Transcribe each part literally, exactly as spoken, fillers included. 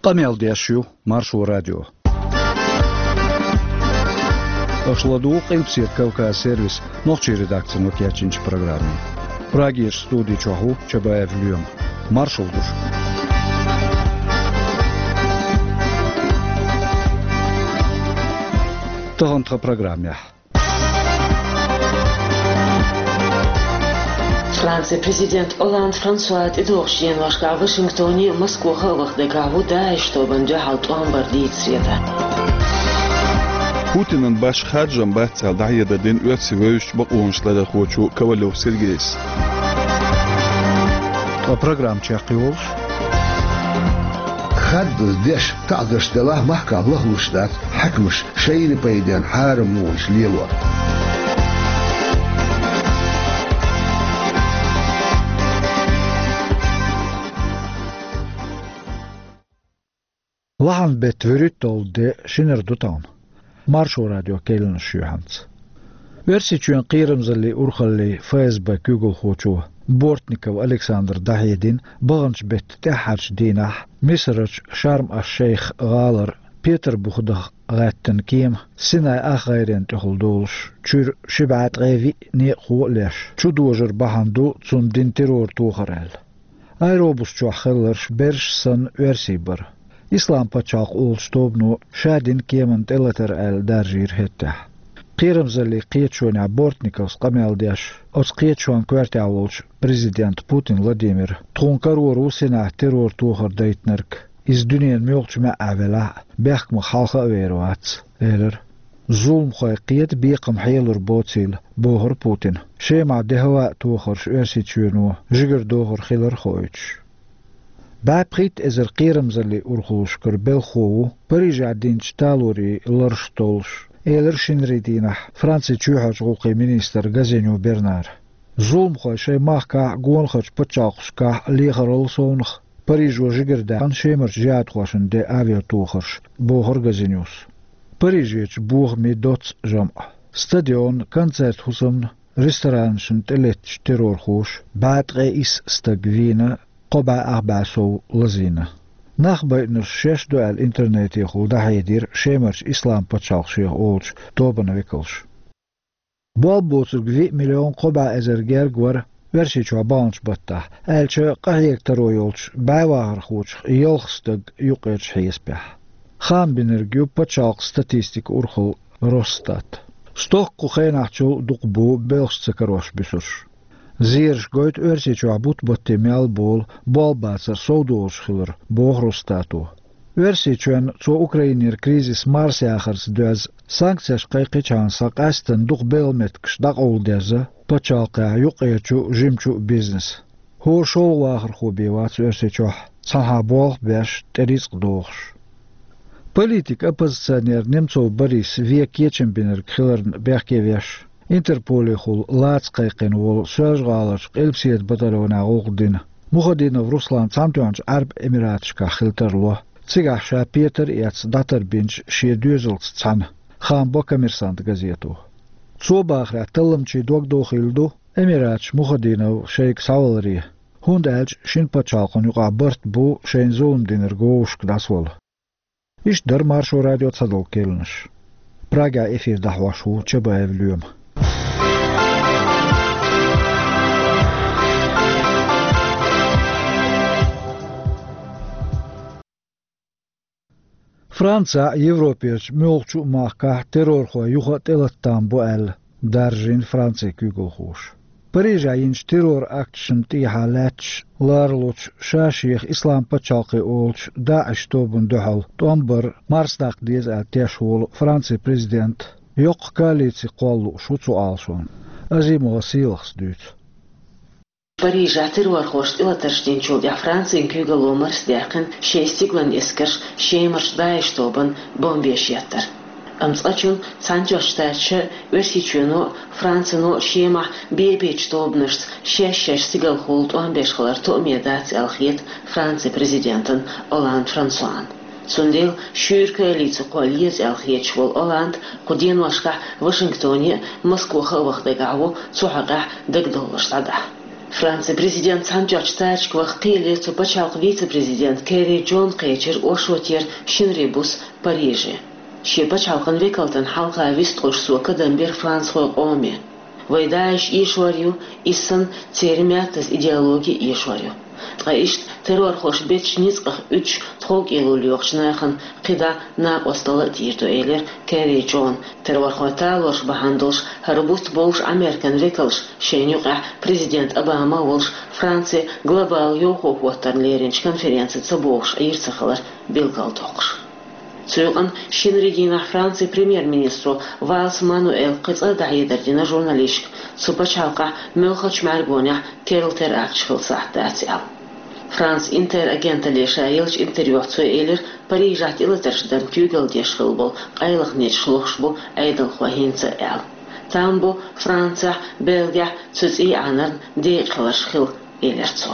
Къамел деш ю Маршо радио. Аша ладугӀу Къилбаседа Кавказ сервисан нохчийн редакцино кечйинчу программе. Прагерчу студи чохь ву Чабаев Лоьма. Маршалла ду шуьга. Тахана тхан программехь. Францин президент Олланд Франсуа тӀедогӀучу деношкахь Вашингтоне а, Москвахь а ваха дагахь ву ДАИШ тобанна дуьхьал тӀом бар дийца схьахетар. Путинан башха харжам бац аьлла, дӀахьедар дина Оьрсийчоьнан вевзачу бакъонаш ларъярхочо Ковалев Сергейс. Ткъа программа чекхйолуш: хаддаза деш, таӀзарш делахь а, махкахь лахлуш дац хьаькамаш шайна пайденна хьарам мукъанаш лелор. Лахьанан беттан вуьрхӀитталгӀа де, шинара ду тахана. Маршо радион кхаьънаш ю хӀинца. Оьрсийчоьнан кхерамзаллин урхаллин ФСБ куьйгалхочо Бортников Александра дӀахьедина баханчу беттан тӀаьххьарчу дийнахь Мисарачу Шарм-аш-Шейх гӀалара Петар-Бухадах гӀаьттина кема Синай ах гӀайренна тӀехула долуш, чуьра ши бӀе ткъе виъ некъахо а леш, чудожар бахьана ду цунна дина террор-тохар аьлла. Аэробус чохь хилларш берш санна оьрсий бара. Ислам пачхьалкх олучу тобано ша дина кеманна тӀелатар аьлла даржийра хӀеттехь. Кхерамзаллин кхеташонехь Бортниковс къамел деш, оцу кхеташонан коьртехь волчу президента Путин Владимира, тхуна карор ву Синахь террор-тохар дайтинарг, иза дуьненан муьлххачу маьӀӀехь велахь а, бехкамах хьалха а вер вац, элира. Зуламхой кхета бекхам хьелур боцийла, бохура Путина, Шемахь де-хӀаваан тохарш Оьрсийчоьно жигара дохур хилар хоуьйтуш. БӀе пхийтта эзар кхерамзаллин урхаллашкара белхахо ву Парижехь динчу талорийн лараш толлуш, элира шинарин дийнахь Францин чоьхьарчу гӀуллакхийн министра Газинью Бернара. Зуламхой шайн махкахь а, гонахарчу пачхьалкхашкахь а лехарал совнаха Парижо жигара даьккхина Шемарчу жихӀадхошна ден авиатохарш, бохура Газиньюс. Парижерчу бохамийн доццу жамӀ, стадион, концерт-хӀусамна, ресторанашна тӀелеттачу террорхоша бӀе ткъе исс стаг вийна, кхо бӀе ах бӀе сов лазийна. Нах байинарш шаьш ду аьлла интернетехула дӀахьедира Шемарчу Ислам пачхьалкх шех олучу тобанан векалша. Болх боцург виъ миллион кхо бӀе эзар герга вара Оьрсийчохь баханчу баттахь, аьлча къахьега таро йолчу бӀе вахархочух ялх стаг юккъерчу хьесапехь. Хаам бинарг ю пачхьалкхан статистикан урхалла Росстат. Стохка кху хенахьчул дукха бу белхаш ца карош буьсурш. Зераш гойту Оьрсийчохь бутт-батте мел болу болх бацар совдолуш хилар, боху Росстато. Оьрсийчоьнна цо Украинера кризис марсаяхарца доьзна санкцеш кхайкхичхьана схьа къаьсттина дукха белхан меттигаш дӀакъовладерза пачхьалкхехь юккъерчу а, жимачу а бизнес. ХӀора шолгӀа вахархо бен вац Оьрсийчохь, цхьанхьа болх а беш, тӀе рицкъ дохуш. Политик-оппозиционер Немцов Борис вен кечам бинарг хиларна бехке веш, Интерполехула лаца кхайкхина волу Соьлжа-ГӀаларчу Къилбаседа батальонехь гӀуллакх дина Мухадинов Руслан Цхьаьнатоьхначу Ӏаьрбийн Эмираташкахь хила тарло, цигахь ша петар а эцна дӀатарбинчу шен доьзалца цхьаьна, хаам бо Коммерсант газето. Цо бахарехь, талламчийн дог дохийла ду Эмираташ Мухадинов шайга схьаваларе, хӀунда аьлча шина пачхьалкхана юкъахь барт бу шайна зулам динарг вовшашка дӀасавала. Иштта дара Маршо радион цхьадолу кхаьънаш. Прагехь эфир дӀахьош ву Чабаев Лоьма. Францехь а, Европерчу муьлххачу а махкахь террорхой юха а тӀелатам бу аьлла, даржийна Францин куьйгалхоша. Парижехь йинчу террор-акташна тӀехьа лаьтташ ларалучу, ша-шех Ислам пачхьалкх олучу ДАИШ тобанна дуьхьал тӀом бар марсадаккха деза аьлла теш волу Францин президент йоккха коалици кхолла лууш ву цу Ӏалашонна. Азимова Сийлахьас дуьйцу. Парижехь террорхоша тӀелатарш динчул тӀаьхьа Францин куьйгалло марсадаьккхина шайн стиглан эскарш Шемарчу ДАИШ тобанна бомбеш еттар. Амма цкъачунна Цхьаьнатоьхначу Штаташа а, Оьрсийчоьно а, Францино а Шемахь бе-бечу тобанашца шаьш-шаьш стигалхула тӀом беш хилар тоаме дац аьлла хета Францин президентана Олланд Франсуана. Цундела шуьйра коалици кхолла еза аьлла хеташ волу Олланд кху деношкахь Вашингтоне а, Москвахь а ваха дагахь ву цу хьокъехь дагадовларш дӀадахьа. Францин президент цхьана чӀоагӀа царчка ваха кхийле цу пачхьалкхан вице-президент Керри Джон кхечира оршотера шинарин буса Париже. Шен пачхьалкхан векалтан хьалха вистхуьлуш цо кадам бира францхойн къоме. Вай ДАИШ эшор ю, иза санна церан маьттаза идеологи эшор ю. Ткъа иштта террорхоша бечу ницкъах уьдуш тховкӀело лоьхучу нахана кхидӀа накъосталла а дийр ду, элира Керри Джона. Террорхойн талораш бахьана долуш хӀара бутт бовш Ӏамеркан векалш шайна юкъахь президент Обама а волуш Франци глобал йовхо хӀоттарна леринчу конференци ца богӀуш Ӏийр ца хилар билгалдоккхуш. Цу юкъана шинарин дийнахь Францин премьер-министро Валс Мануэла кхин цкъа а дӀахьедар дина журналисташка, цу пачхьалкхехь муьлххачу мӀаьргонехь керла теракташ хила сахьт дац аьлла. Франс Интер агенталле ша еллачу интервьюхь цо элира, Парижехь тӀелатарш дарна куьйгалла деш хилла болу къайлаха неташ лохуш бу Ӏедалхой хӀинца а аьлла. Там бу Францехь, Бельгехь цу цӀий Ӏанарна декъахь хиларш хилла, элира цо.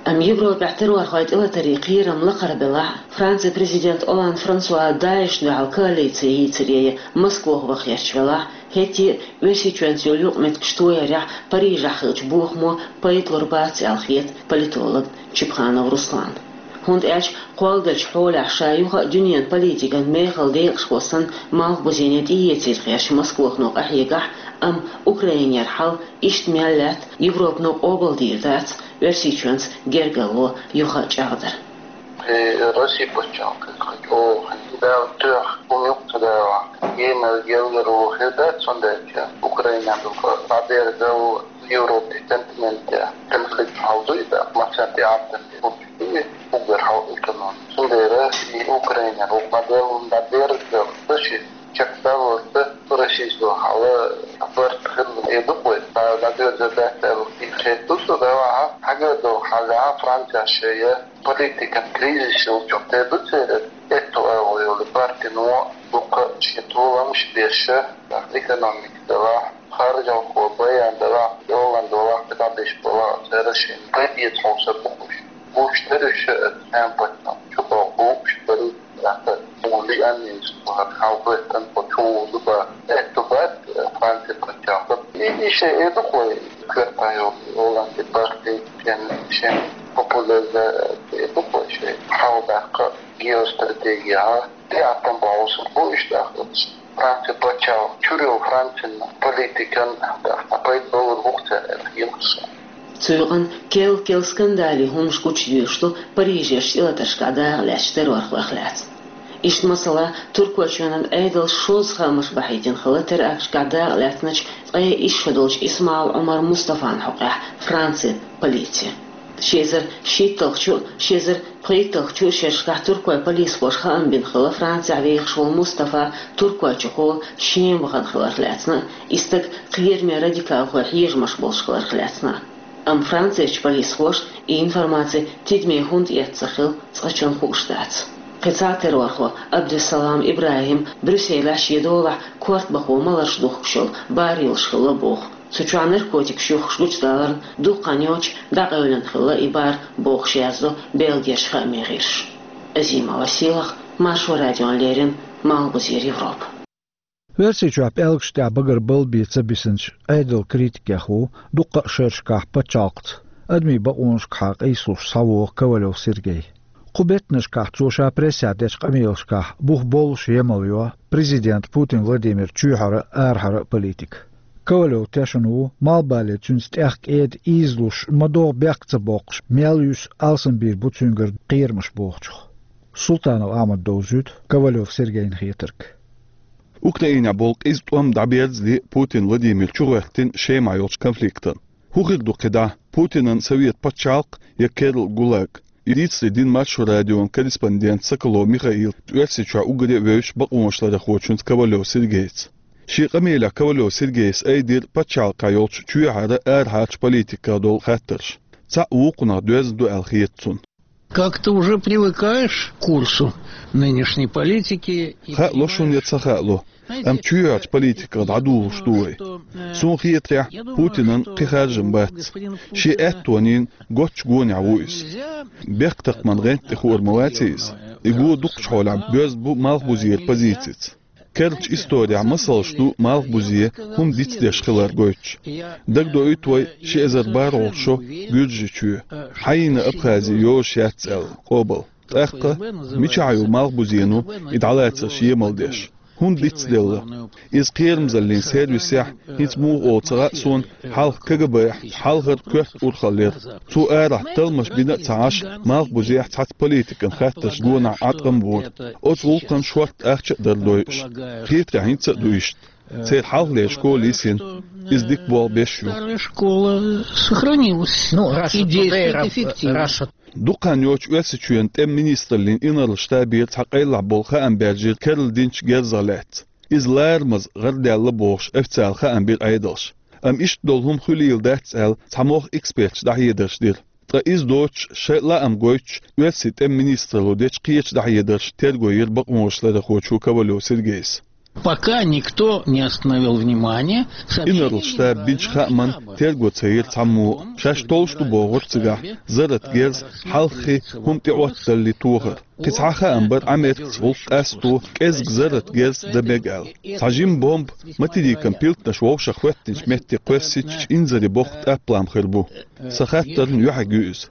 Амма Европехь террорхойн тӀелатарийн кхерам лакхара белахь а, Францин президент Олланд Франсуа ДАИШна дуьхьал коалици йийцаре я Москох ваха гӀерташ велахь а, хӀетте а Оьрсийчоьнца йолу юкъаметтигаш тоярехь Парижехь хиллачу бохамо пайда лур бац аьлла хета политолог Чипханов Руслана. ХӀунда аьлча кхолладелчу хьолехь ша юха а дуьненан политикан мехала декъашхо санна малхбузене тӀеэцийта гӀерташ Москохано къахьегахь а, амма Украинера хьал иштта мел лаьтта, Европано къобалдийр дац Оьрсийчоьнца гергарло юха а чӀагӀдар. Э, Россия пачхьалкхе хьан чӀогӀа хьан Дала тоьхна хӀума юкъа ца дала, генара гергарло хир дац, цундела Украинан дукха дӀадерзал Европе, континенте конфликт хьал дуй, да, массарна тӀе Ӏаьттина тӀе хӀума чу дуй, уггар хьал экономика. Цундела и Украинера вукху модель дӀадерзал, ца ши чекхдаллалц Российс хьала барт хилла, э, ду-кх вай. Ца дӀадоьрзур дац аьлла, и хету со, да, хьан хьагар долу хьалехь Францехь шайя политикан кризис йолчух те ду церан, этто агӀо йолу партино дукха шен толамаш беш, экономика делахь, харжалхо баян делахь, Олланд валахь, кхидӀа беш балахь, церан шен пайда эца хьовсар бу уьш. Гуш дара уьш, э, цхьаьна пачхьалкх чу боху уьш дара, тӀаккха муха лиъаннийца боху, хьал хӀоьттина кху чу ву ду бан, этто бац, э, Франци пачхьалкх. И, и шайн э ду-кх вай, коьртан йолу Олландин парти, шен, шен популяризация ду-кх вай шайн хьал даккха геостратегия, а? ТӀеӀаткъам бохьуш бу иштта ахча. Франци пачхьалкх чуьра йолу Францин политикан тӀаккха пайда балур бу-кх цара аьлла хета суна. Цу юкъана кел-кел скандали хӀумнаш гучудуьйлуш ду Парижерчу тӀелатаршкахь дакъа лаьцначу террорхойх лаьцна. Иштта, масала, Туркойчоьнан Ӏедалша шозза хаамаш бахьийтина хилла теракташкахь дакъа лаьцначу ткъе исс шо долчу Исмаал Ӏумар Мустафан хьокъехь Францин полици. Ши эзар шийтталгӀачу, ши эзар пхийтталгӀачу шерашкахь туркойн полисхоша хаам бина хилла, Францехь вехаш волу Мустафа Туркойчухула Шема вахана хиларх лаьцна, и стаг кхераме радикалхойн хьежамаш болуш хиларх лаьцна. Амма Францерчу полисхоша и информаци тидаме хӀунда эцна хилла цкъачунна хууш дац. Кхин цхьа террорхо Абдуссалам ИбрахӀим Брюсселехь шен долахь корта бахо маларш духкуш йолу бар йолуш хилла боху. Цу чохь наркотикаш юхкуш гучудаларна дукха хан йоцуш дӀакъевлина хилла и бар, бохуш яздо Бельгерчу хаамийн гӀирсаша. Азимова Сийлахь, Маршо радиона леррина, Малхбузера Европа. Оьрсийчохь пӀелгаш тӀехь багара балбе ца бисинчу Ӏедалан критикех ву дуккха а шерашкахь пачхьалкхца адамийн бакъонашкахьа къийсалуш схьавогӀу Ковалев Сергей. Кху беттанашкахь цо ша прессехь дечу къамелашкахь бух боллуш емал йо президент Путин Владимир чоьхьара а, арахьара а политика. Ковалев тешна ву, малхбале цуьнца тӀехь кӀеда ийзалуш ма-догӀу бехк ца боккхуш, мел юьсу алсамбийр бу цуьнгара кхерамаш бохучух. Султанов Ахьмада довзуьйту Ковалев Сергейна хетарг. Украинехь болу къиза тӀом дӀаберзаде Путин Владимир чугӀоьртина Шемахь йолчу конфликтан. ХӀун хир ду кхидӀа, Путинан совет пачхьалкх я керла ГУЛАГ? И дийцаре дина Маршо радион корреспондент Соколов Михаила Оьрсийчохь уггаре а вевзачу бакъонашларъярхочуьнца Ковалев Сергейца. Шен къамелехь Ковалев Сергейс айдира пачхьалкхехь йолчу чоьхьара, арахьарчу политиках долу хаттарш. Цхьаъ вукхунах доьзна ду аьлла хета цунна. Как-то уже привыкаешь к курсу нынешней политики и... Хаало шуна я ца хаало, амма чоьхьарчу политиках дӀадугӀуш ду вай. Суна хетарехь, Путинан кхин харжам бац. Шен аьттонийн гоччу гонехь ву иза. Бехктакхаман гӀанта тӀе хуур ма вац иза. И го дукхачу хьолехь боьзна бу Малхбузера позицица. Керлача исторехь масалш ду малхбузе хӀума дицдеш хилар гойтуш. Дагадоуьйту вай ши эзар бархӀолгӀачу шо Гуьржийчоь, хьайна Абхази йозуш яц аьлла, къобал. ТӀаккха мичахь ю малхбузено и дӀалацарш емал деш? ХӀунда дицделла? Иза кхерамзаллин сервисехь, хӀинца муха олу ца хаьа суна, хьалха КГБ-хь хьалхара коьрта урхаллера. Цо арахь талламаш бина а ца Ӏаш, малхбузехь цхьацца политикан хаттарш гонах Ӏаткъам бора. Оцу гӀуллакхана шортта ахча а дара дойуш. Кхетарехь хӀинца а ду иштта. Церан хьалхалера школа йисина, иза дика болх беш ю. Старая школа сохранилась. Ну, и действует эффективно. Дукха хан йоцуш Оьрсийчоьнан тӀеман министраллин инарла штабера цхьа къайлахь болу хаам баьржира керла динчу герзах лаьцна. Иза ларамаза гӀардаьлла бохуш, официалан хаам бира Ӏедалша. Амма иштта долу хӀума хуьлийла дац аьлла, цхьа могӀа эксперташа дӀахьедарш дира. Ткъа иза доцуш, шайн лаам гойтуш, Оьрсийн тӀеман министралло дечу кхечу дӀахьедарша терго йира бакъонашларъярхочо Ковалев Сергейс. Пока никто не остановил внимание. Инарла штаба бинчу хааман терго ца йира цхьаммо а. Шаьш толлуш ду бохура цигахь зарратан герз, хьалххе хӀума тӀеӀотталале тохар. Кхин цхьа хаам бара Ӏамеркаца гӀуллакх къасто кӀеззиг зарратан герз дан мега аьлла. Цхьа жима бомба материкан пилтанаш вовшах хӀоьттинчу метте кхоьссича инзаре боккха тӀаплам хир бу. Сан хаттарна юьхьиг ю иза.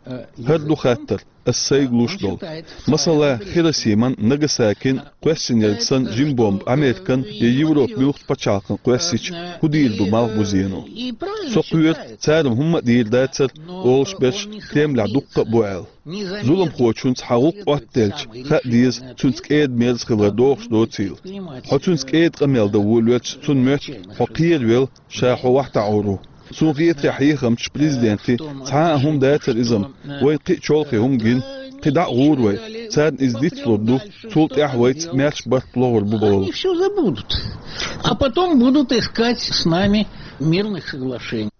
ХӀара ду хаттар, ас сайга луш долу. Масала, Хиросиман, Нагасакин кхоьссинарг санна жима бомба Американ я Европан муьлххачу пачхьалкхан кхоьссича, хӀун дийр ду малхбузено? Со кхоьру, цара-м хӀумма а дийр дацара, олуш берш Кремлехь дуккха а бу аьлла. Зуламхочуьнца хьан гӀуллакх Ӏоттаделча, хаа деза, цуьнца кӀеда-мерза хилар догӀуш доцийла. Хьо цуьнца кӀеда къамел дан волавелча, цунна моьтту хьо кхеравелла, ша хьо вахтахьур ву. Суна хетарехь, хьехамчу президентийн цхьа а хӀума дацара иза-м, вайна кхин а чолхе хӀума гина, кхин дӀа а гӀура вай, царна иза дицлур ду, цул тӀаьхьа вайца маьрша барт лохур бу бохула. Они всё забудут. А потом будут искать с нами мирных соглашений.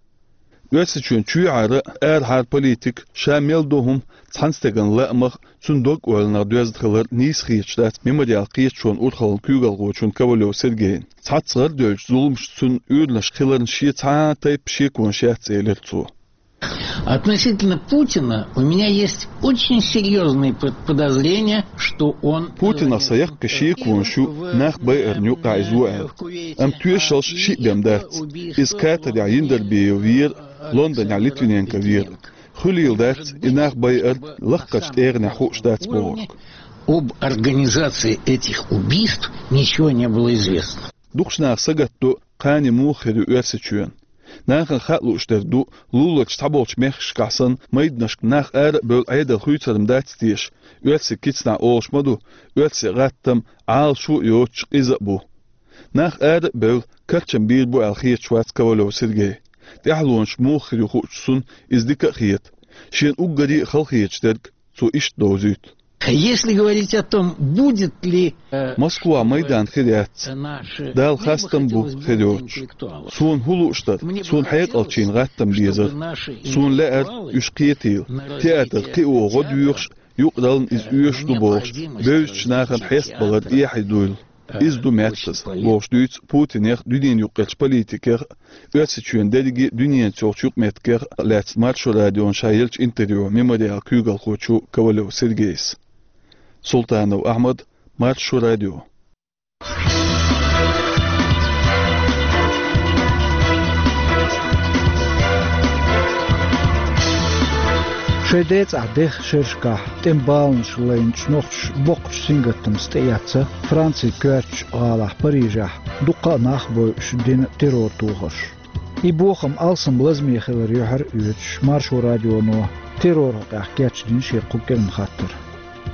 Оьрсийчоьнан чоьхьара, арахьара политика, ша мел до хӀума, цхьана стеган лаамах, цуьнан дог-ойланах доьзна хилар нийса хеташ дац Мемориал кхеташонан урхаллин куьйгалхочунна Ковалев Сергейна. Цхьацца гӀарадевллачу зуламашца цуьнан уьйранаш хиларна шен цхьа а тайпа шеконаш яц, элира цо. Относительно Путина у меня есть очень серьёзные под-, подозрения, что он, э, Путинах сан яккхий шеконаш ю, нах байарна юкъахь иза ву аьлла. Амма тоьшаллаш шиъ бен дац. Иза Катарехь Яндарбиев вера, Лондонехь Литвиненко вера. Хуьлийла дац и нах байар лакхарчу тӀегӀанехь хууш дац бохург. Об организации этих убийств ничего не было известно. Дукхачу наха сагатдо, кхане муха хир ю Оьрсийчоьнан. Нахана хаа лууш дерг ду, луларчу цхьаболчу мехкашкахь санна, майданашка нах ара а бевлла Ӏедал хуьйцур-м дац теша, оьрсийн кицанахь олуш ма ду, оьрсийн гӀаттам Ӏалашо а йоцуш, къиза а бу. Нах ара а бевлла, карчам бийр бу аьлла хеташ вац Ковалев Сергей. ТӀаьхьалонаш муха хир ю хуучу цунна иза дика а хета. Шена уггаре а хала хеташ дерг цо иштта довзуьйту. Если говорить о том, будет ли, э, Москва майдан хир яц. Дала хастам бу хир йоцуш. Суна хӀун лууш дара, суна хьекъалчийн гӀаттам безара. Суна лаьара уьш кхетийла. Театр кхио гӀо доьхуш, юкъараллина иза оьшуш ду бохуш, бевзачу нахана хьестабалар эхье дуйла. Иза ду меттаза, бохуш дуьйцу Путинех, дуьненан юккъерчу политикех, Оьрсийчоьнан дерриге а дуьненца йолчу юкъаметтигех лаьцна Маршо радиона ша еллачу интервьюхь Мемориал куьйгалхочо Ковалев Сергейс. Султанов Ахьмад, Маршо радио. Шайн децӀахь деха шерашкахь тӀеман баланаш лайначу нохчаша боккхачу сингаттамца тӀеэцна Францин коьртачу гӀалахь Парижехь дуккха а нах а бойуш дина террор тохарш. И бохам алсам лазаме хилар юьхьар а оьцуш, Маршо радионо терроран хьокъехь кечдина шен кху кӀиранан хаттар.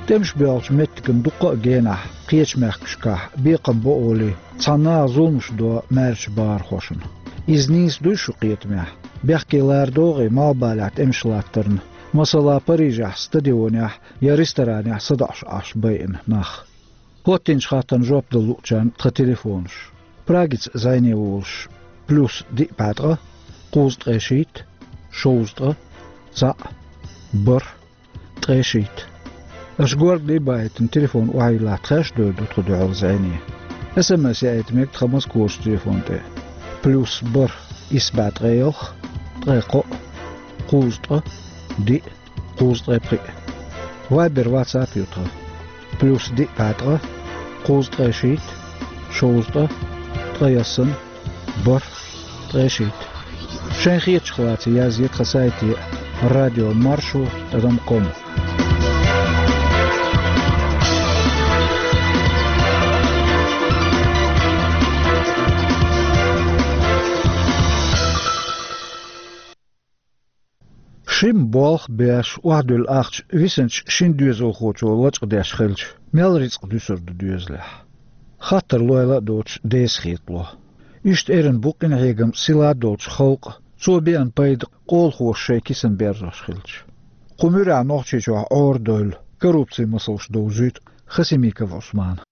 ТӀемаш боьлхучу меттиган дуккха а генахь, кхечу мехкашкахь бекхам бо олий, цхьана наха зуламаш до маьршачу бахархошна. Иза нийса дуй шун кхетамехь? Бехке лара догӀий малхбалехь тӀемаш латтарна, масала, Парижехь стадионехь я ресторанехь садоӀуш Ӏаш байина нах? ХӀоттийначу хаттарна жоп дала луучарна тхан телефонаш. Прагица зӀене волуш: плюс диъ бӀе ткъа, кхузткъе шийтта, шовзткъа, цхьаъ, бархӀ, ткъе шийтта. Аша горгали а бахийтина, телефон охьайиллахь, тхаьш а девр ду тхо дуьхьал зӀене. СМС яийта мега тхан Москварчу телефон тӀе: плюс бархӀ, исс бӀе ткъе ялх, ткъе кхоъ, кхузткъа, диъ, кхузткъе пхиъ. Вайбер, ватсап ю тхан: плюс диъ бӀе ткъа, кхузткъе шийтта, Шовзткъаь, ткъаесна, бархӀ, ткъаь шийтта. Шайн хетачух лаьцна язъе тхан сайте радио маршо тӀадам ком. Шимма болх беш, охьадуьллу ахча висинчу шина доьзалхочо лачкъадеш хилча, мел рицкъ дуьсур ду доьзалехь? Хаттар лойла а доцуш, деза хетало. Иштта эрна бу къинхьегам сила долчу халкъан, цо беана пайда къолахоша шайн кисана берзош хилча. Кху муьрехь Нохчийчохь Ӏорадевлла, коррупцин масалш довзуьйту Хасимиков Ӏусмана.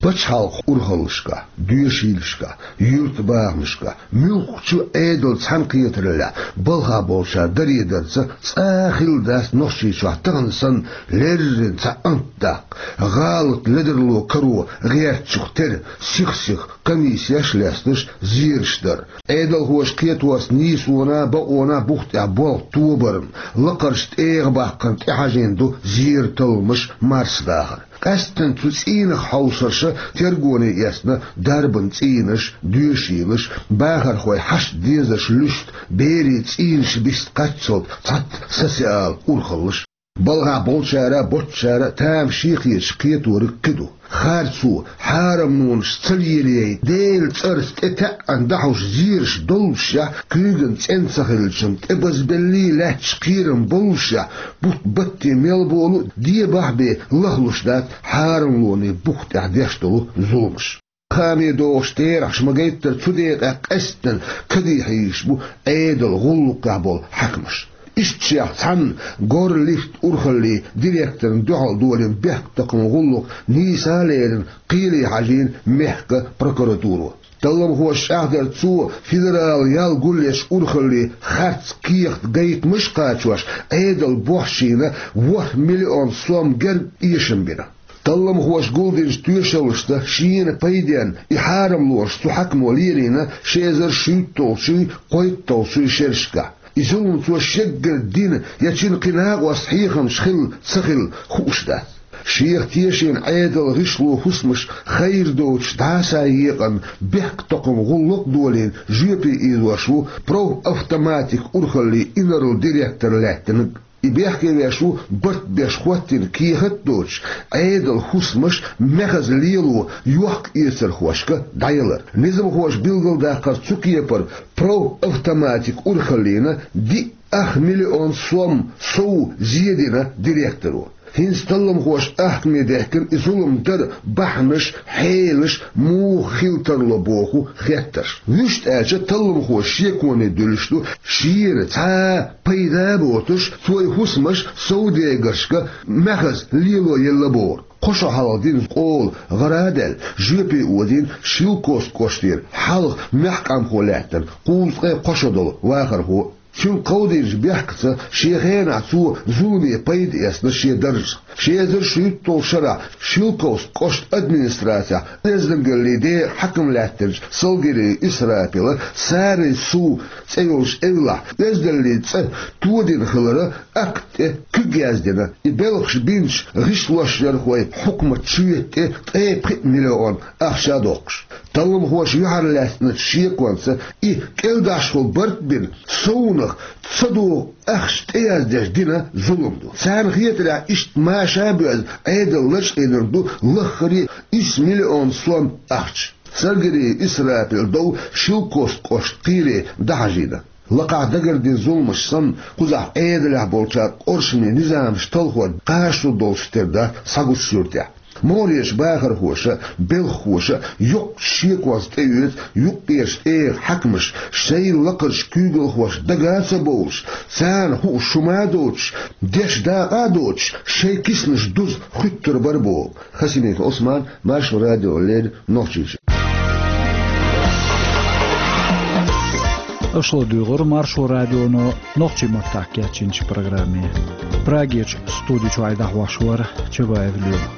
Пачхьалкхан урхаллашкахь, доьшийлашкахь, юьртабахамашкахь, муьлххачу Ӏедалан цхьаьнакхетараллехь балхахь болчара даре дарца цкъа а хилла дац Нохчийчохь тахана санна леррина цхьа ант даккха, гӀалат ледарло каро гӀертачух тера сих-сиха комиссеш а лесташ зераш дар. Ӏедалхоша кхеторца нийсонан а, бакъонан а бух тӀехь болх тобарна, лакхарчу тӀегӀан баккхарна тӀехьажийна ду зеран талламаш, марсадахар. Къаьсттина цу цӀийнах хьовсарша тергоне эцна дарбан цӀийнаш, доьшийлаш, бахархойн хьашт-дезарш луьсту, берийн цӀийнаш биста кхаччалц цхьацца социалан урхаллаш. Балхахь болчара а, боцчара а тамашийна хеташ кхеториг кхин ду. Харцо, хьарамнонаш ца лелаяй, Делан цӀарца тӀетаьӀӀина дӀахьош зераш доллушехь, куьйган цӀена ца хилча-м, тӀебазбеллий лаьтташ кхерам боллушехь, бутт-батте мел болу а дебахь бен лахлуш дац хьарамлонан бух тӀехь деш долу зуламаш. Хами дохуш терахьаш ма-гайттара, цу декъехь къаьсттина кадий хьийзаш бу Ӏедалан гӀуллакхехь болу хьаькамаш. Иштта шех цхьанна горлифт урхаллин директорна дуьхьал долийна бехктакхаман гӀуллакх нийса а лерина, кхеле хьажийна мехкан прокуратуро. Талламхоша чӀагӀдарца, цо федералан ял гулъеш урхаллин харц кехат гайтамаш а кхачош, Ӏедалан бохчийна ворхӀ миллион сом герга эшам бина. Талламхоша гулдинчу тоьшаллашца шена пайденна и хьарамлонаш цу хьаькамо лелийна ши эзар шийтталгӀачуй, кхойтталгӀачуй шерашкахь. И зулам цо шеггара дина я цуьнан кхин накъост хьехамаш хилла ца хилла хууш дац. Шех тешийна Ӏедалан гӀишлон хӀусамаш хайра доцуш дӀасаекъна бехктакхаман гӀуллакх а долийна, жоьпе ийзош ву профавтоматикан урхаллин инарла директор лаьттинарг. И бехке веш ву барт беш хӀоттийна кехат а доцуш, Ӏедалан хӀусамаш мехаза лело йохка-эцархошка дӀаялар. Низамхоша билгалдаккхарца, цу кепара профавтоматикан урхаллина диъ ах миллион сом сов зе дина директоро. ХӀинца талламхоша ахкаме дехкина и зулам дар бахьанаш, хьелаш муха хила тарло боху хеттарш. Вуьшта аьлча, талламхоша шеконе дуьллуш ду, шена цхьа а пайда а боцуш, цо и хӀусамаш совдегаршка мехаза лело елла бохург. Кхо шо хьалха дина къола гӀара а даьлла, жоьпе озийна Шелковски кӀоштера хьалха маьхкамхо лаьттина кхузткъе кхо шо долу вахархо. Цуьнга кховдийначу бехкаца шен хенахь цо зуламе пайда эцна шен даржах. Ши эзар шийтталгӀачу шарахь Шелковски кӀоштан администрацехь оьздангаллин декъан хьаькам лаьттинчу Салгириев Исрапила Сарин сув цӀе йолчу эвлахь оьздаллин цӀа тодина хиларан акт тӀе куьг яздина, и белхаш бинчу гӀишлошъярхойн хьукматан чуьйта тӀе ткъе пхиъ миллион ахча а доккхуш. Талламхоша юьхьарлаьцначу шеконца и кӀелдӀашхула барт бина, совнах ца догӀу ахча тӀеяздеш дина зулам ду. Царна хетарехь, иштта маша а боьзна, Ӏедал лачкъийнарг ду лаххара исс миллион сом ахча. Салгириев Исрапил дов Шелковски кӀоштан кхеле дӀахьажийна. Лакхахь дагардина зуламаш санна, кхузахь Ӏедалехь болчара къуршаме низамаш талхор кхачо долуш тера дац схьагучу суьртехь. МогӀарерчу бахархоша, белхахоша йоккхачу шеконца тӀеоьцу юккъерчу тӀегӀан хьаькамаш, шайн лакхарчу куьйгалхошна дага а ца бовлуш, царна хууш хӀума а доцуш, деш дакъа а доцуш, шайн киснаш дуза хуьттур бара боху. Хасимиков Ӏусман, Маршо радиона леррина, Нохчийчоь. Аша ладуьйгӀира Маршо радионо нохчийн маттахь кечйинчу программе. Прагерчу студи чуьра дӀахьош вара Чабаев Лема.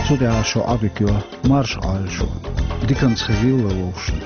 Цу тӀехь шун Ӏодика йо, марша Ӏойла шу. Диканца хезийла вовшашна.